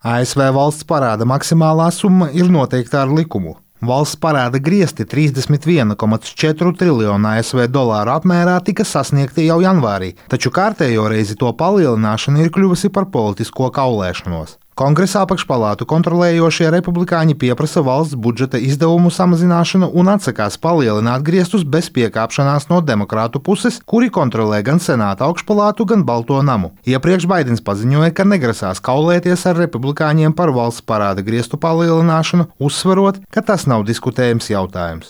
ASV valsts parāda maksimālā summa ir noteikta ar likumu. Valsts parāda griezti 31,4 triljonu ASV dolāru apmērā tika sasniegti jau janvārī, taču kārtējo reizi to palielināšana ir kļuvusi par politisko kaulēšanos. Kongresa apakšpalātu kontrolējošie republikāņi pieprasa valsts budžeta izdevumu samazināšanu un atsakās palielināt griestus bez piekāpšanās no demokrātu puses, kuri kontrolē gan Senāta augšpalātu, gan Balto namu. Iepriekš Baidens paziņoja, ka negrasās kaulēties ar republikāņiem par valsts parāda griestu palielināšanu, uzsverot, ka tas nav diskutējams jautājums.